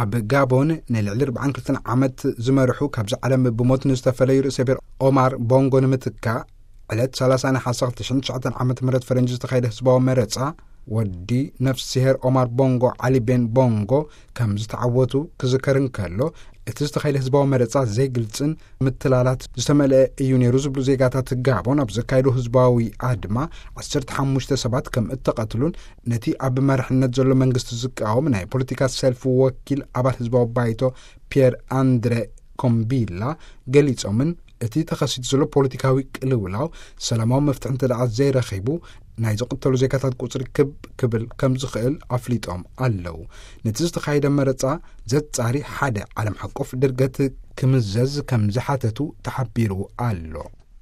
ኣብ ጋቦን ንልዕሊ ኣርባዓን ክልተን ዓመት ዝመርሑ፣ ካብዚ ዓለም ብሞት ንዝተፈለዩ ርእሰ ብሔር ኦማር ቦንጎ ንምትካእ፣ ዕለት ሰላሳ ነሓሰ ክልተ ሽሕን ትሽዓተን ዓመተ ምህረት ፈረንጂ ዝተኻየደ ህዝባዊ መረጻ፣ ወዲ ነፍስሄር ኦማር ቦንጎ፣ ዓሊ ቤን ቦንጎ፣ ከም ዝተዓወቱ ክዝከር እንከሎ፣ እቲ ዝተኻየደ ህዝባዊ መረጻ ዘይግልጽን ምትላላት ዝተመልአ እዩ ነይሩ ዝብሉ ዜጋታት ጋቦን፣ ኣብ ዘካየዱ ህዝባዊ ኣድማ፣ ዓሰርተ ሓሙሽተ ሰባት ከም እተቐትሉን፣ ነቲ ኣብ መራሕነት ዘሎ መንግስቲ ዝቃወም ናይ ፖለቲካ ሰልፊ ወኪል ኣባል ህዝባዊ ባይቶ ፒየር ኣንድረ ኮምቢላ ገሊጾምን፣ እቲ ተኸሲቱ ዘሎ ፖለቲካዊ ቅልውላው ሰላማዊ መፍትሒ እንተ ደኣ ዘይረኺቡ፣ ናይ ዝቕተሉ ዜጋታት ቁጽሪ ክብ ክብል ከም ዝኽእል ኣፍሊጦም ኣለዉ። ነቲ ዝተኻየደ መረጻ ዘጻሪ ሓደ ዓለም ሓቆፍ ድርገት ክምዘዝ ከም ዝሓተቱ ተሓቢሩ ኣሎ።